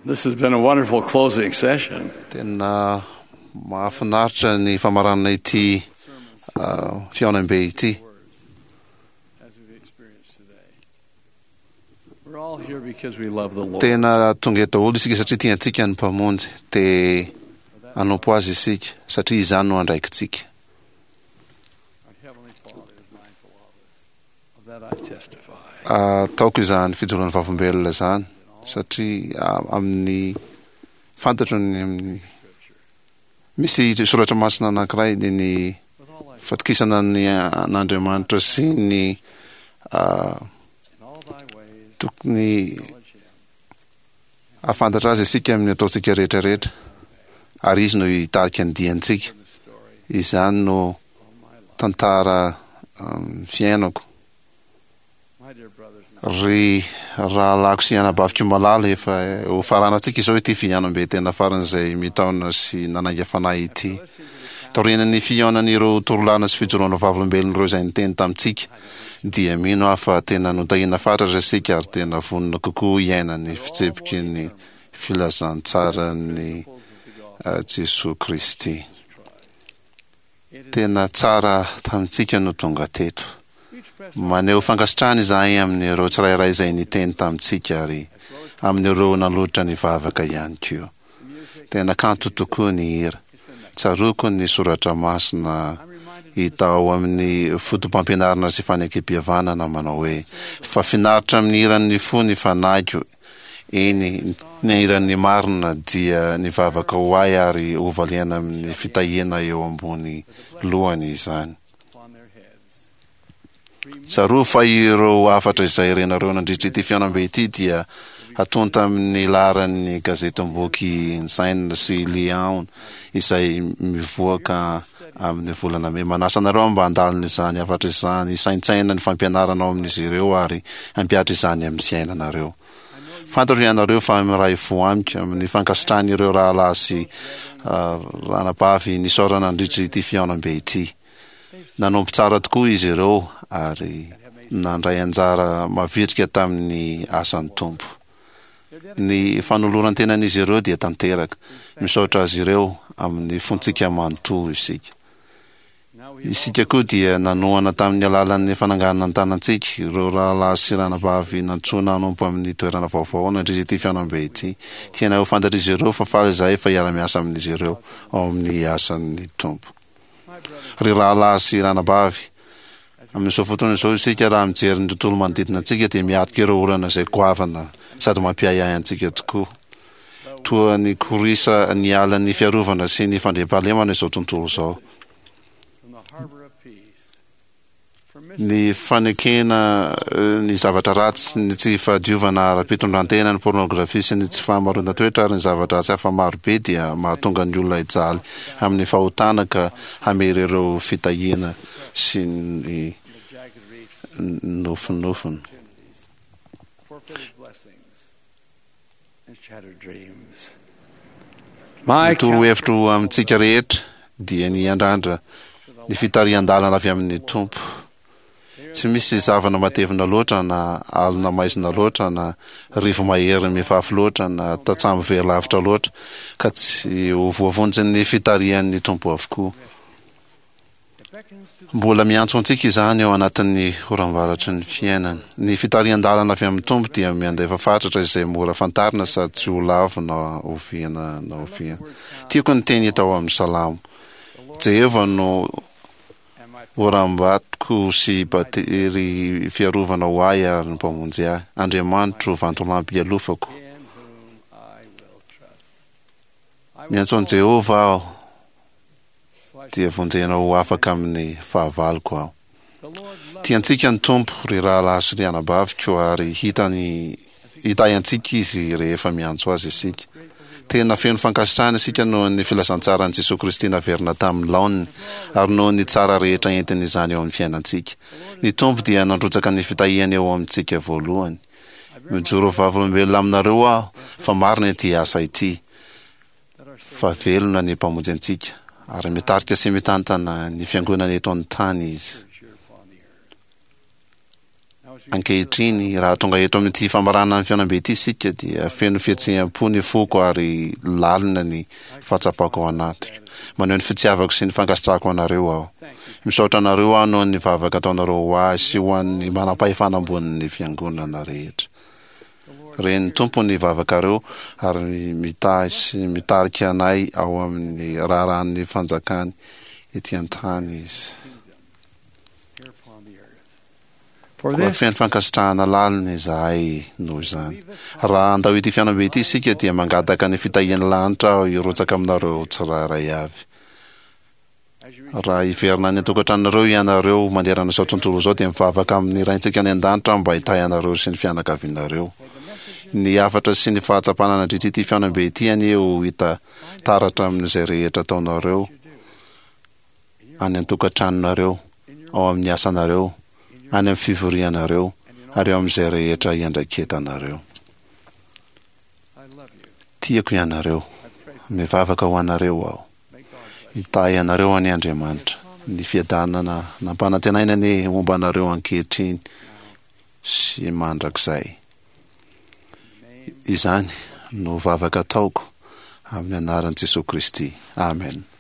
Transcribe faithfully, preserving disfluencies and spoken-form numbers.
This has been a wonderful closing session. Tena mahafinaritra ny famaranana ity uh, fihaonambe ity. As we've experienced today. We're all here because we love the Lord. Tena tonga eto daholo isika satria tiantsika ny Mpamonjy, te hanompo azy isika satria izany no andraikitsika. Our Heavenly Father is mindful of us. Of that I testify. Ataoko izany fijoroan'ny vavolombelona izany satria a- amin'ny fantatro ny amin'ny misy soratra masina anankiray dia ny With all thy fatokisana ny an'Andriamanitra sy ny ah, in all thy ways tokony acknowledge him. ahafantatra azy isika amin'ny ataontsika rehetrarehetra ary izy no hitarika ny diantsika. In the story Izany no of my life. tantara um, fiainako. My dear brothers and Ry rahalahiko sy anabaviko malala, efa ho faranantsika izao ity fihaonambe tena faran'izay mitaona sy nanainga fanahy ity. Taorian'ny fihaonan'ireo torolana sy fijoroana vavolombelon'ireo izay niteny tamintsika, dia mino aho fa tena notahiana fatratra isika ary tena vonona kokoa hiaina ny fitsipiky ny filazantsaran'ny principles of the gospel uh, Jesoa Kristy. of Jesus Christ. It is Tena tsara tamintsika no tonga teto. we express Maneho fankasitrahana izahay amin'ireo tsirairay izay niteny tamintsika ary as well as amin'ireo nanolotra ny vavaka ihany koa. the music. Tena kanto tokoa ny hira. It's been magnificent. Tsaroako ny soratra masina I'm reminded of hita ao amin'ny foto-pampianarana sy fanekempihavanana manao hoe fa finaritra amin'ny hiran'ny fo ny fanahiko, eny ny hiran'ny marina dia ny vavaka ho ahy ary hovaliana amin'ny fitahiana eo ambony lohany izany. upon their heads. Tsarovy fa ireo hafatra izay renareo nandritra ity fihaonambe ity dia hatonta amin'ny laharan'ny gazetim-boky Ensign sy Liahona izay mivoaka amin'ny volana mey. Manasa anareo mba handalina izany hafatra izany, hisaintsaina ny fampianarana ao amin'izy ireo ary hampihatra izany amin'ny fiainanareo. Fantatro ianareo fa miray fo amiko amin'ny fankasitrahan'ireo rahalahy sy uh, ranabavy nisaorana nandritra ity fihaonambe ity. Nanompo tsara tokoa izy ireo ary nandray anjara mavitrika tamin'ny asan'ny Tompo. Ny fanoloran-tenan'izy ireo dia tanteraka. Misaotra azy ireo amin'ny fontsika manontolo isika. Now we Isika koa dia nanohana tamin'ny alalan'ny fananganana ny tanantsika ireo rahalahy sy ranabavy nantsoina hanompo amin'ny toerana vaovao nandritra ity fihaonambe ity. Tianay ho fantatr'izy ireo fa faly izahay fa hiara-miasa amin'izy ireo ao amin'ny asan'ny Tompo. my brothers Ry rahalahy sy ranabavy, amin'izao fotoana izao isika raha mijery ny tontolo manodidina antsika dia miatrika ireo olana izay goavana sady mampiahiahy antsika tokoa. Toa ny korisa ny alan'ny fiarovana sy ny fandriampahalemana izao tontolo izao. from the harbor of peace. For Ny fanekena eh, ny zavatra ratsy, ny tsy fahadiovana ara-pitondrantena, ny pornografia sy ny tsy fahamaroan-toetra ary ny zavatra ratsy hafa marobe dia mahatonga ny olona hijaly amin'ny fahotana ka hamery ireo fitahiana sy ny the jagged reefs nofinofiny. opportunities, forfeited blessings, and shattered dreams. My Ny torohevitro amintsika rehetra dia ny hiandrandra ny fitarihan-dalana avy amin'ny Tompo. Tsy misy zavana matevina loatra na alina maizina loatra na rivo-mahery mifafy loatra na tatsambo very lavitra loatra ka tsy ho voavonjin'ny fitarihan'ny Tompo avokoa. It beckons to Mbola miantso antsika izany ao anatin'ny oram-baratry ny fiainana. Ny fitarihan-dalana avy amin'ny Tompo dia miandefa fatratra izay mora fantarina sady tsy ho lavo na oviana na oviana. Tiako ny teny hita ao amin'ny Salamo. Jehovah no and my oram-batoko sy batery fiarovana ho ahy ary ny mpamonjy ahy. Andriamanitro vantolampy ialofako. in whom I will trust. I will Miantso an'i call, Jehovah aho for I dia vonjena ho afaka amin'ny fahavaloko aho. The Lord loves Tiantsika ny Tompo, ry rahalahy sy ry anabaviko, ary hitany hitahy antsika izy rehefa miantso azy isika. Tena feno fankasitrahana isika noho ny filazantsaran'i Jesoa Kristy naverina tamin'ny laoniny ary noho ny tsara rehetra entin'izany eo amin'ny fiainantsika. Ny Tompo dia nandrotsaka ny fitahiany eo amintsika voalohany. Mijoro vavolombelona aminareo aho fa marina ity asa ity, that our fa velona ny Mpamonjy antsika ary mitarika sy mitantana ny fiangonana eto an-tany izy. church here upon the earth. Now Ankehitriny, raha tonga eto amin'ity famaranana ny fihaonambe ity isika, dia feno fihetseham-po ny foko ary lalina ny fahatsapako ao anatiko. Maneho ny fitiavako sy ny fankasitrahako anareo aho. Misaotra anareo aho noho ny vavaka ataonareo ho ahy sy ho an'ny manam-pahefana ambonin'ny fiangonana rehetra. Ren'ny Tompo ny vavakareo ary mitahy sy mitarika anay ao amin'ny raharahan'ny fanjakany ety an-tany Izy. Koa feno fankasitrahana lalina izahay noho izany. Raha handao ity fihaonambe ity isika dia mangataka ny fitahian'ny lanitra aho hirotsaka aminareo tsirairay avy. Raha hiverina any an-tokantranonareo ianareo manerana izao tontolo izao dia mivavaka amin'ny Raintsika any an-danitra aho mba hitahy anareo sy ny fianakavianareo. Ny hafatra sy ny fahatsapana nandritra ity fihaonambe ity anie ho hita taratra amin'izay rehetra ataonareo any an-tokantranonareo, ao amin'ny asanareo, any amin'ny fivorianareo ary ao amin'izay rehetra iandraiketanareo. Tiako ianareo. Mivavaka ho anareo aho. Hitahy anareo anie Andriamanitra. Ny fiadanana nampanantenaina anie homba anareo ankehitriny sy mandrakizay. Izany no vavaka ataoko amin'ny anaran'i Jesoa Kristy. Amen.